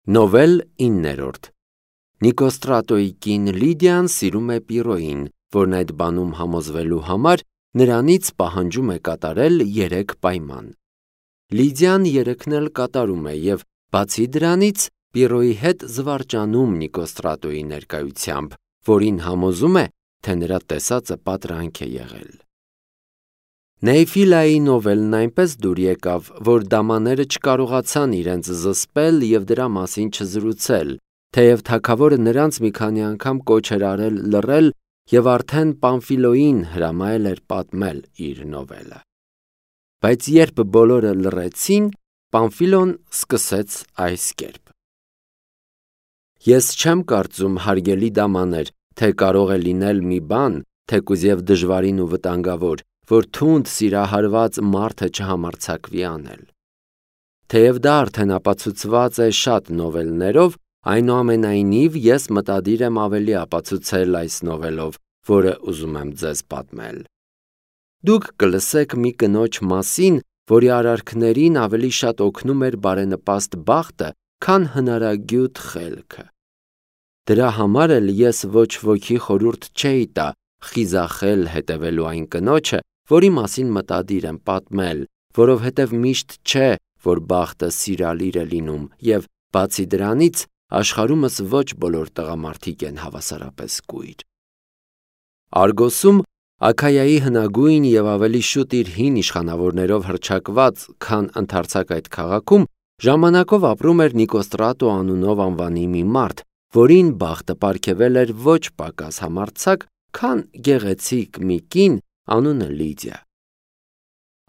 Նովել 9-րդ Նիկոստրատոյի կին Լիդիան սիրում է Պիրոյին, որն այդ բանում համոզվելու համար նրանից պահանջում է կատարել 3 պայման։ Լիդիան 3-ն էլ կատարում է և բացի դրանից Պիրոյի հետ զվարճանում Նիկոստրատոյի ներկայությամբ, որին համոզում է, թե նրա տեսածը պատրանք է եղել։ Նեյֆիլայի նովելն այնպես դուր եկավ, որ դամաները չկարողացան իրենց զսպել և դրա մասին չզրուցել, թեև թագավորը նրանց մի քանի անգամ կոչ էր արել լռել և արդեն Պամֆիլոյին հրամայել էր պատմել իր նովելը։ Բայց երբ բոլորը լռեցին, Պամֆիլոն սկսեց այս կերպ. Ես չեմ կարծում, հարգելի դամաներ, թե կարող է լինել մի բան, թեկուզ և դժվարին ու վտանգավոր, որ թունդ սիրահարված մարդը չհամարձակվի անել։ Թեև դա արդեն ապացուցված է շատ նովելներով, այնուամենայնիվ ես մտադիր եմ ավելի ապացուցել այս նովելով, որը ուզում եմ ձեզ պատմել։ Դուք կլսեք մի կնոջ մասին, որի արարքներին ավելի շատ օգնում էր բարենպաստ բախտը, քան հնարագյուտ խելքը։ Դրա համար էլ ես ոչ ոքի խորհուրդ չէի տա խիզախել հետևելու այն կնոջը, որի մասին մտադիր եմ պատմել, որովհետև միշտ չէ, որ բախտը սիրալիր է լինում, և բացի դրանից աշխարհումս ոչ բոլոր տղամարդիկ են հավասարապես կույր։ Արգոսում, Աքայայի հնագույն և ավելի շուտ իր հին իշխանավորներով հռչակված, քան ընդարձակ այդ քաղաքում, ժամանակով ապրում էր Նիկոստրատո անունով անվանի մի մարդ, որին բախտը պարգևել էր ոչ պակաս համարձակ, քան գեղեցիկ մի կին, անունը Լիդիա։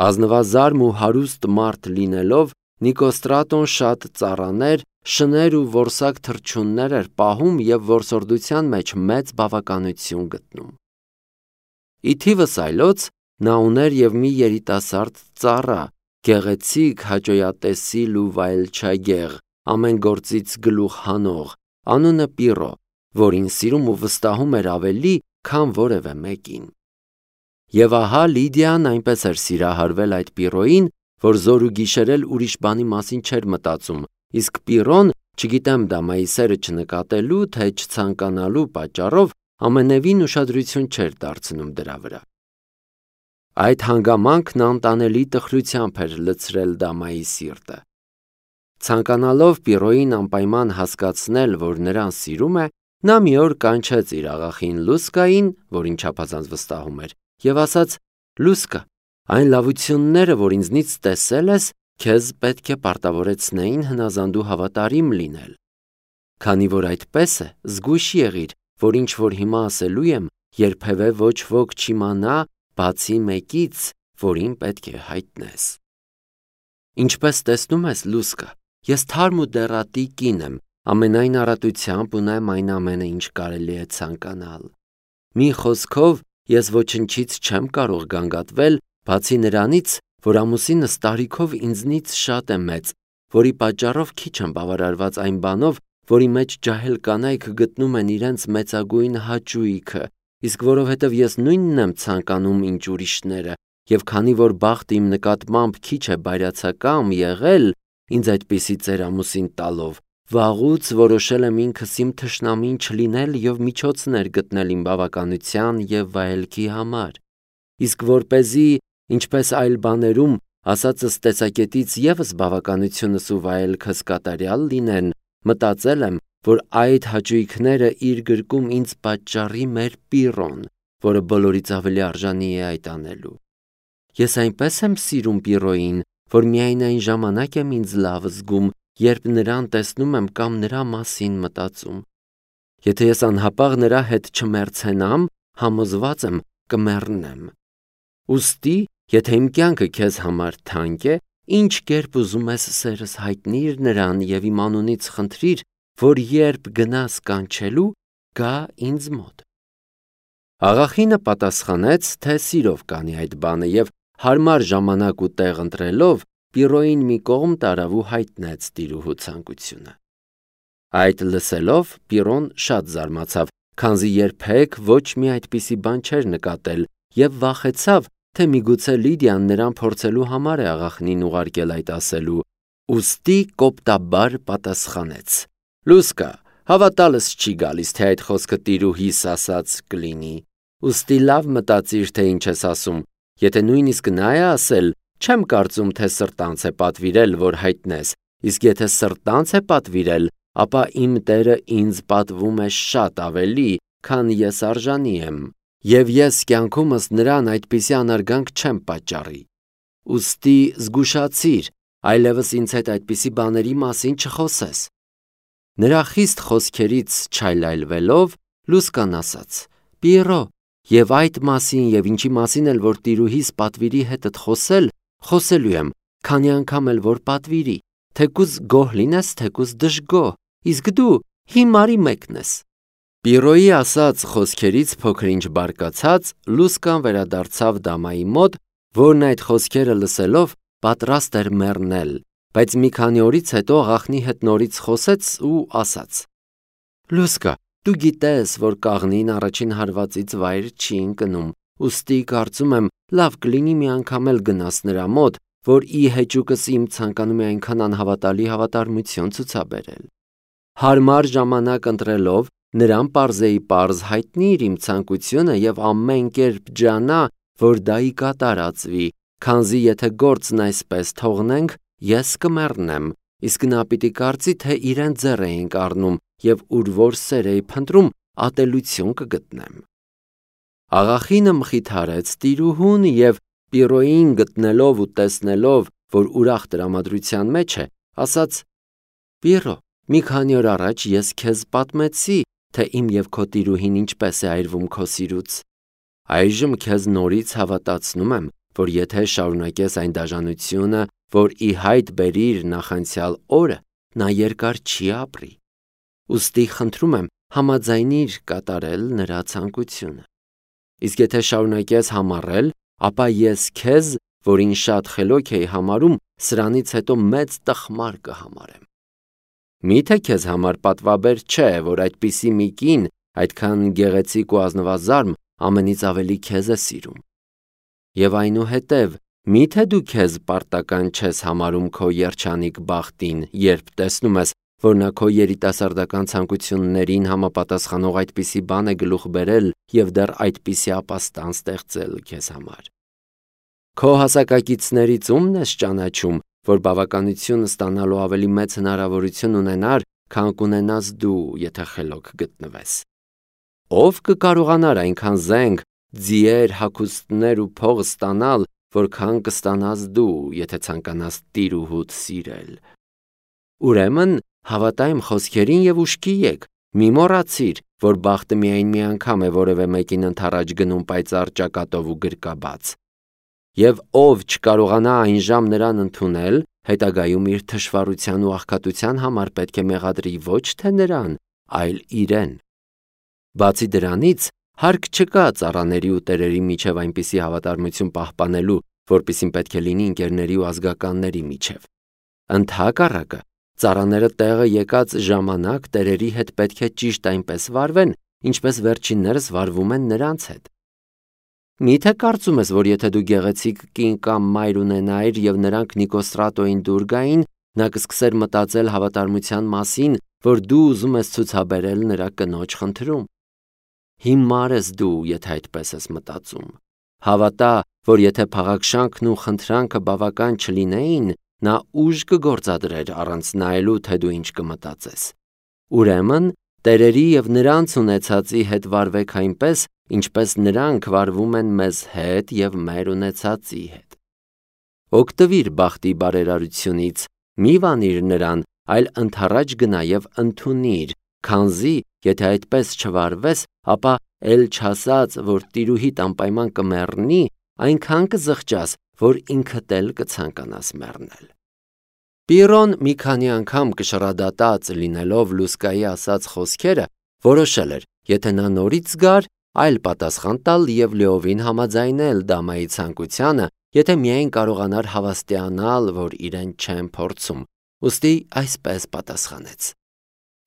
Ազնվազարմ ու հարուստ մարդ լինելով, Նիկոստրատոն շատ ծառաներ, շներ ու որսակ թռչուններ էր պահում և որսորդության մեջ մեծ բավականություն գտնում։ Ի թիվս այլոց, նա ուներ և մի երիտասարդ ծառա, գեղեցիկ, հաճոյատեսիլ ու վայելչագեղ, ամեն գործից գլուխ հանող, անունը Պիրո, որին սիրում ու վստահում էր ավելի, քան որևէ մեկին։ Եվ ահա Լիդիան այնպես էր սիրահարվել այդ Պիրոյին, որ զոր ու գիշեր էլ ուրիշ բանի մասին չէր մտածում, իսկ Պիրոն, չգիտեմ դամայի սերը չնկատելու, թե չցանկանալու պատճառով, ամենևին ուշադրություն չէր դարձնում դրա վրա։ Այդ հանգամանքն անտանելի տխրությամբ էր լցրել դամայի սիրտը։ Ցանկանալով Պիրոյին անպայման հասկացնել, որ նրան սիրում է, նա մի օր կանչեց իր աղախին Լուսկային, որին չափազանց վստահում էր, և ասաց. «Լուսկա, այն լավությունները, որ ինձնից տեսել ես, քեզ պետք է պարտավորեցնեին հնազանդ ու հավատարիմ լինել։ Քանի որ այդպես է, զգույշ եղիր, որ ինչ որ հիմա ասելու եմ, երբևէ ոչ ոք չիմանա, բացի մեկից, որին պետք է հայտնես։ Ինչպես տեսնում ես, Լուսկա, ես թարմ ու դեռատի կին եմ, ամենայն առատությամբ ունեմ այն ամենը, ինչ կարելի է ցանկանալ։ Մի խոսքով, ես ոչնչից չեմ կարող գանգատվել, բացի նրանից, որ ամուսինս տարիքով ինձնից շատ է մեծ, որի պատճառով քիչ եմ բավարարված այն բանով, որի մեջ ջահել կանայք գտնում են իրենց մեծագույն հաճույքը, իսկ որովհետև ես նույնն եմ ցանկանում, ինչ ուրիշները, և քանի որ բախտը իմ նկատմամբ քիչ է բայրացակամ եղել, ինձ այդպիսի ծերամուսին տալով, վաղուց որոշել եմ ինքս իմ թշնամին չլինել և միջոցներ գտնել իմ բավականության և վայելքի համար, իսկ որպեսզի, ինչպես այլ բաներում, ասածս տեսակետից ևս բավականությունս ու վայելքս կատարյալ լինեն, մտածել եմ, որ այդ հաճույքները իր գրկում ինձ պատճառի մեր Պիրոն, որը բոլորից ավելի արժանի է այդ անելու։ Ես այնպես եմ սիրում Պիրոյին, որ միայն այն ժամանակ եմ ինձ լավ զգում, երբ նրան տեսնում եմ կամ նրա մասին մտածում։ Եթե ես անհապաղ նրա հետ չմեռցենամ, համոզված եմ կմեռնեմ։ Ուստի, եթե իմ կյանքը քեզ համար թանկ է, ինչ կերպ ուզում ես սերս հայտնիր նրան և իմ անունից խնդրիր, որ երբ գնաս կանչելու, գա ինձ մոտ։ Աղախինը պատասխանեց, թե սիրով կանի այդ բանը և հարմար ժամանակ ու տեղ ընտրելով, Պիրոյին մի կողմ տարավ ու հայտնեց տիրուհու ցանկությունը։ Այդ լսելով Պիրոն շատ զարմացավ, քանզի երբեք ոչ մի այդպիսի բան չէր նկատել և վախեցավ, թե միգուցե Լիդիան նրան փորձելու համար է աղախնին ուղարկել այդ ասելու, Ուստի կոպտաբար պատասխանեց. Լուսկա, հավատալս չի գալիս, թե այդ խոսքը տիրուհիս ասած կլինի, ուստի լավ մտածիր, թե ինչ ես ասում, եթե նույնիսկ նա է ասել, չեմ կարծում, թե սրտանց է պատվիրել, որ հայտնես, իսկ եթե սրտանց է պատվիրել, ապա իմ Տերը ինձ պատվում է շատ ավելի, քան ես արժանի եմ, և ես կյանքումս նրան այդպիսի անարգանք չեմ պատճառի, ուստի զգուշացիր, այլևս ինձ հետ այդպիսի բաների մասին չխոսես։ Նրա խիստ խոսքերից չայլայլվելով, Լուսկան ասաց. Պիերո, և այդ մասին և ինչի մասին էլ որ տիրուհիս պատվիրի հետդ խոսելու եմ, քանի անգամ էլ որ պատվիրի, թեկուզ գոհ լինես, թեկուզ դժգոհ, իսկ դու հիմարի մեկն ես։ Պիերոյի ասած խոսքերից փոքր-ինչ բարկացած, Լուսկան վերադարձավ դամայի մոտ, որն այդ խոսքերը լսելով պատրաստ էր մեռնել, բայց մի քանի օրից հետո աղախնի հետ նորից խոսեց ու ասաց. Լուսկա, դու գիտես, որ կաղնին առաջին հարվածից վայր չի ընկնում, ուստի կարծում եմ լավ կլինի մի անգամ էլ գնաս նրա մոտ, որ ի հեճուկս իմ ցանկանում է այնքան անհավատալի հավատարմություն ցուցաբերել։ Հարմար ժամանակ ընտրելով նրան պարզեի պարզ հայտնիր իմ ցանկությունը և ամեն կերպ ջանա, որ դա ի կատարածվի, քանզի եթե գործն այսպես թողնենք, ես կմեռնեմ, իսկ նա պիտի կարծի, թե իրեն ձեռ էինք առնում և ուր որ սեր էի փնտրում, ատելություն կգտնեմ։ Աղախինը մխիթարեց տիրուհուն և Պիրոյին գտնելով ու տեսնելով, որ ուրախ տրամադրության մեջ է, ասաց. Պիրո, մի քանի օր առաջ ես քեզ պատմեցի, թե իմ և քո տիրուհին ինչպես է այրվում քո սիրուց։ Այժմ քեզ նորից հավատացնում եմ, որ եթե շարունակես այն դաժանությունը, որ ի հայտ բերիր նախանցյալ օրը, նա երկար չի ապրի։ Ուստի խնդրում եմ համաձայնիր կատարել նրա ցանկությունը։ Իսկ եթե շարունակես համառել, ապա ես քեզ, որին շատ խելոք էի համարում, սրանից հետո մեծ տխմար կհամարեմ։ Միթե քեզ համար պատվաբեր չէ, որ այդպիսի մի կին, այդքան գեղեցիկ ու ազնվազարմ, ամենից ավելի քեզ է սիրում։ Եվ այնուհետև, միթե դու քեզ պարտական չես համարում քո երջանիկ բախտին, երբ տեսնում ես, որ նա քո երիտասարդական ցանկություններին համապատասխանող այդպիսի բան է գլուխ բերել և դեռ այդպիսի ապաստան ստեղծել քեզ համար։ Քո հասակակիցներից ում ես ճանաչում, որ բավականություն ստանալու ավելի մեծ հնարավորություն ունենար, քան կունենաս դու, եթե խելոք գտնվես։ Ով կկարողանար այնքան զենք, ձիեր, հագուստներ ու փող ստանալ, որքան կստանաս դու, եթե ցանկանաս տիրուհուդ սիրել։ Ուրեմն հավատա իմ խոսքերին և ուշքի եկ, մի մոռացիր, որ բախտը միայն մի անգամ է որևէ մեկին ընդառաջ գնում պայծառ ճակատով ու գրկաբաց։ Եվ ով չկարողանա այն ժամ նրան ընդունել, հետագայում իր թշվառության ու աղքատության համար պետք է մեղադրի ոչ թե նրան, այլ իրեն։ Բացի դրանից, հարկ չկա ծառաների ու տերերի միջև այնպիսի հավատարմություն պահպանելու, որպիսին պետք է լինի ընկերների ու ազգականների միջև։ Ընդհակառակը, ծառաները տեղը եկած ժամանակ տերերի հետ պետք է ճիշտ այնպես վարվեն, ինչպես վերջիններս վարվում են նրանց հետ։ Միթե կարծում ես, որ եթե դու գեղեցիկ կին կամ մայր ունենայիր և նրանք Նիկոստրատոյին դուր գային, նա կսկսեր մտածել հավատարմության մասին, որ դու ուզում ես ցուցաբերել նրա կնոջ խնդրում։ Հիմար ես դու, եթե այդպես ես մտածում։ Հավատա, որ եթե փաղաքշանքն ու խնդրանքը բավական չլինեին, նա ուժ կգործադրեր առանց նայելու, թե դու ինչ կմտածես։ Ուրեմն, տերերի և նրանց ունեցածի հետ վարվեք այնպես, ինչպես նրանք վարվում են մեզ հետ և մեր ունեցածի հետ։ Օգտվիր բախտի բարերարությունից, մի վանիր նրան, այլ ընդառաջ գնա և ընդունիր, քանզի, եթե այդպես չվարվես, ապա էլ չասած, որ տիրուհիդ անպայման կմեռնի, այնքան կզղջաս, որ ինքդ էլ կցանկանաս մեռնել։ Պիրոն մի քանի անգամ կշռադատած լինելով Լուսկայի ասած խոսքերը, որոշել էր, եթե նա նորից գար, այլ պատասխան տալ և լիովին համաձայնել դամայի ցանկությանը, եթե միայն կարողանար հավաստիանալ, որ իրեն չեն փորձում, ուստի այսպես պատասխանեց.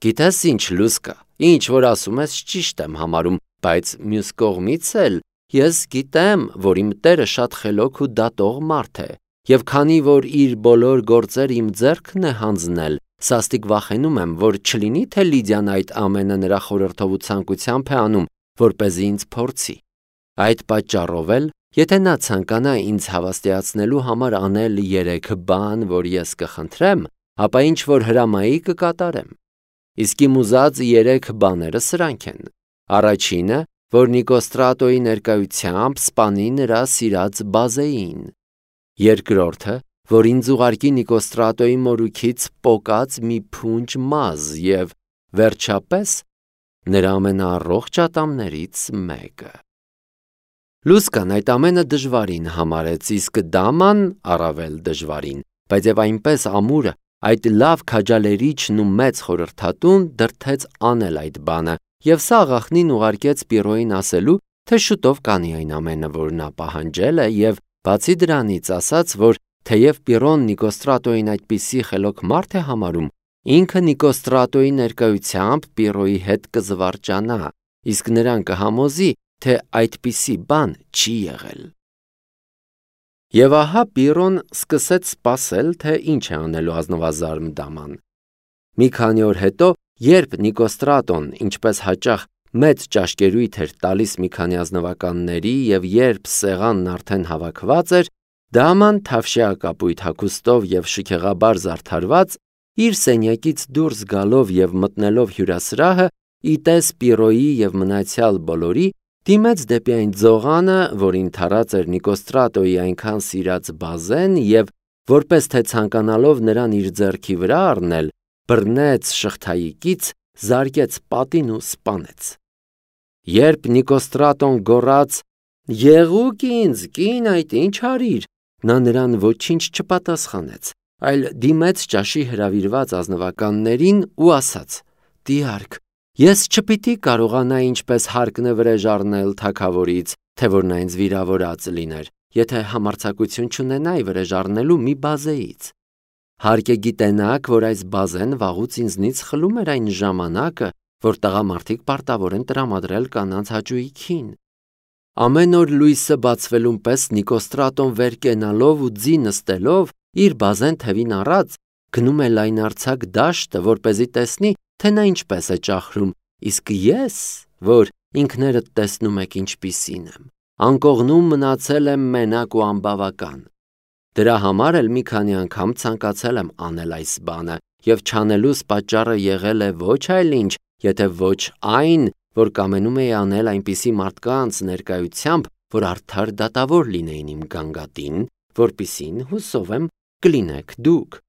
Գիտես ինչ, Լուսկա, ինչ որ ասում ես ճիշտ եմ համարում, բայց մյուս կողմից էլ ես գիտեմ, որ իմ տերը շատ խելոք ու դատող մարդ է, Եվ քանի որ իր բոլոր գործեր իմ ձեռքն է հանձնել, սաստիկ վախենում եմ, որ չլինի թե Լիդիան այդ ամենը նրա խորհրդով ու ցանկությամբ է անում, որպեսզի ինձ փորձի։ Այդ պատճառով էլ, եթե նա ցանկանա ինձ հավաստիացնելու համար անել 3 բան, որ ես կխնդրեմ, ապա ինչ որ հրամայի կկատարեմ։ Իսկ իմ ուզած 3 բաները սրանք են. Առաջինը, որ Նիկոստրատոյի ներկայությամբ սպանի նրա սիրած Բազեին։ Երկրորդը, որ ինձ ուղարկի Նիկոստրատոյի մորուքից պոկած մի փունջ մազ և վերջապես նրա ամենաառողջ ատամներից մեկը։ Լուսկան այդ ամենը դժվարին համարեց, իսկ Դաման առավել դժվարին, բայց եւ այնպես ամուրը այդ լավ քաջալերիչն ու մեծ խորհրդատուն դրդեց անել այդ բանը եւ սա աղախնին ուղարկեց Պիրոյին ասելու, թե շուտով կանի այն ամենը, որ նա պահանջել է եւ բացի դրանից ասաց, որ թեև Պիրոն Նիկոստրատոյին այդպիսի խելոք մարդ է համարում, ինքը Նիկոստրատոյի ներկայությամբ Պիրոյի հետ կզվարճանա, իսկ նրան կհամոզի, թե այդպիսի բան չի եղել։ Եվ ահա Պիրոն սկսեց սպասել, թե ինչ է անելու ազնվազարմ Դաման։ Մի քանի օր հետո, երբ Նիկոստրատոն, ինչպես հաճախ, մեծ ճաշկերույթ էր տալիս մի քանի ազնվականների եւ երբ սեղանն արդեն հավաքված էր, Դաման թավշյա կապույտ հագուստով եւ շքեղաբար զարդարված, իր սենյակից դուրս գալով եւ մտնելով հյուրասրահը, իտես Պիրոյի եւ մնացյալ բոլորի, դիմեց դեպի այն ձողանը, որին թարած էր Նիկոստրատոյի այնքան սիրած Բազեն եւ որպես թե ցանկանալով նրան իր ձեռքի վրա առնել, բռնեց շղթայիկից, զարկեց պատին ու սպանեց։ Երբ Նիկոստրատոն գոռաց. «Եղուկ ինձ, կին, այդ ինչ արիր», նա նրան ոչինչ չպատասխանեց, այլ դիմեց ճաշի հրավիրված ազնվականներին ու ասաց. «Տիարք, ես չպիտի կարողանա ինչպես հարկն է վրեժ առնել թագավորից, թե որ նա ինձ վիրավորած լիներ, եթե համարձակություն չունենայի վրեժ առնելու մի Բազեից։ Հարկ է գիտենաք, որ այս Բազեն վաղուց ինձնից խլում էր այն ժամանակը, որ տղամարդիկ պարտավոր են տրամադրել կանանց հաճույքին։ Ամեն օր լույսը բացվելուն պես Նիկոստրատոն վեր կենալով ու ձի նստելով, իր Բազեն թևին առած, գնում է լայնարձակ դաշտը, որպեսզի տեսնի, թե նա ինչպես է ճախրում, իսկ ես, որ ինքներդ տեսնում եք ինչպիսին եմ, անկողնում մնացել եմ մենակ ու անբավական։ Դրա համար էլ մի քանի անգամ ցանկացել եմ անել այս բանը, եւ չանելուս պատճառը եղել է ոչ այլ ինչ, եթե ոչ այն, որ կամենում էի անել այնպիսի մարդկանց ներկայությամբ, որ արդար դատավոր լինեին իմ գանգատին, որպիսին հուսով եմ կլինեք դուք։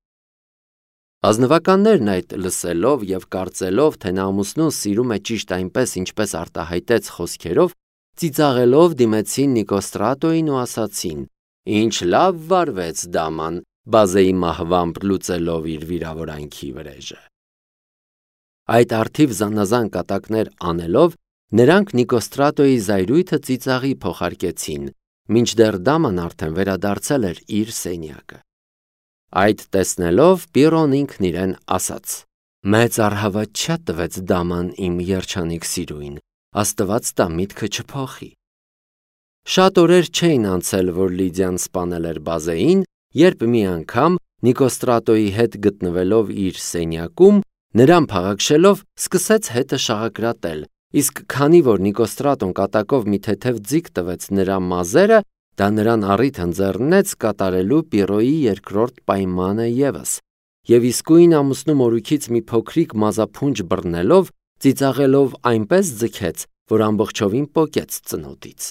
Ազնվականներն այդ լսելով եւ կարծելով, թե նա ամուսնուն սիրում է ճիշտ այնպես, ինչպես արտահայտեց խոսքերով, ծիծաղելով դիմեցին Նիկոստրատոյին ու ասացին. «Ինչ լավ վարվեց Դաման, Բազեի մահվամբ լուծելով իր վիրավորանքի վրեժը»։ Այդ արդիվ զանազան կատակներ անելով, նրանք Նիկոստրատոյի զայրույթը ծիծաղի փոխարկեցին, մինչդեռ Դաման արդեն վերադարձել էր իր սենյակը։ Այդ տեսնելով Պիրոն ինքն իրեն ասաց. «Մեծ առհավատչա տվեց Դաման իմ երջանիկ սիրուին, Աստված տա միտքը չփոխի»։ Շատ օրեր չէին անցել, որ Լիդիան սպանել էր Բազեին, երբ մի անգամ Նիկոստրատոյի հետ գտնվելով իր սենյակում, նրան փաղաքշելով սկսեց հետը շաղակրատել, իսկ քանի որ Նիկոստրատոն կատակով մի թեթև ձիգ տվեց նրա մազերը, դա նրան առիթ ընձեռնեց կատարելու Պիրոյի երկրորդ պայմանը ևս, եւ իսկույն ամուսնու մորուքից մի փոքրիկ մազափունջ բռնելով, ծիծաղելով այնպես ձգեց, որ ամբողջովին պոկեց ծնոտից։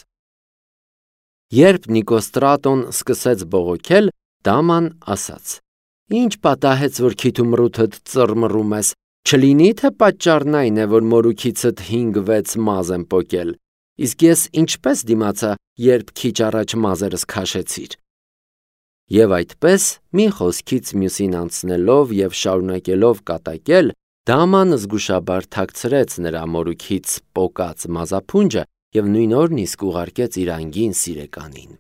Երբ Նիկոստրատոն սկսեց բողոքել, Դաման ասաց. «Ինչ պատահեց, որ քիթումռութդ ծռմռում ես, չլինի թե պատճառն այն է, որ մորուքիցդ 5-6 մազ եմ պոկել, իսկ ես ինչպես դիմացա, երբ քիչ առաջ մազերս քաշեցիր»։ Եվ այդպես, մի խոսքից մյուսին անցնելով եւ շարունակելով կատակել, Դաման զգուշաբար թաքցրեց նրա մորուքից պոկած մազափունջը եւ նույն օրն իսկ ուղարկեց իր անգին սիրեկանին։